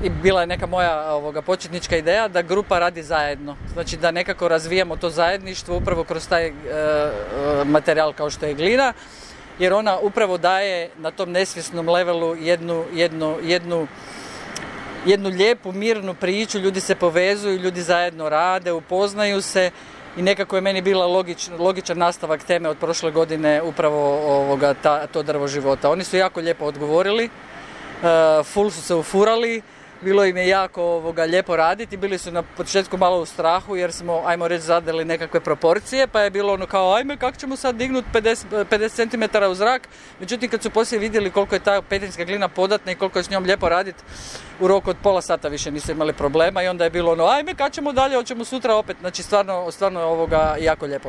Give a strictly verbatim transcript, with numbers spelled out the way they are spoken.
i bila je neka moja ovoga, početnička ideja da grupa radi zajedno. Znači da nekako razvijamo to zajedništvo upravo kroz taj e, materijal kao što je glina, jer ona upravo daje na tom nesvjesnom levelu jednu, jednu, jednu, jednu lijepu, mirnu priču, ljudi se povezuju, ljudi zajedno rade, upoznaju se i nekako je meni bila logič, logičan nastavak teme od prošle godine upravo ovoga, ta, to drvo života. Oni su jako lijepo odgovorili, uh, full su se ufurali, bilo im je jako ovoga, lijepo raditi, bili su na početku malo u strahu jer smo, ajmo reći, zadali nekakve proporcije, pa je bilo ono kao, ajme, kako ćemo sad dignuti pedeset centimetara u zrak, međutim kad su poslije vidjeli koliko je ta petrinjska glina podatna i koliko je s njom lijepo raditi, u roku od pola sata više nisu imali problema i onda je bilo ono, ajme, kad ćemo dalje, hoćemo sutra opet, znači stvarno, stvarno je ovoga jako lijepo.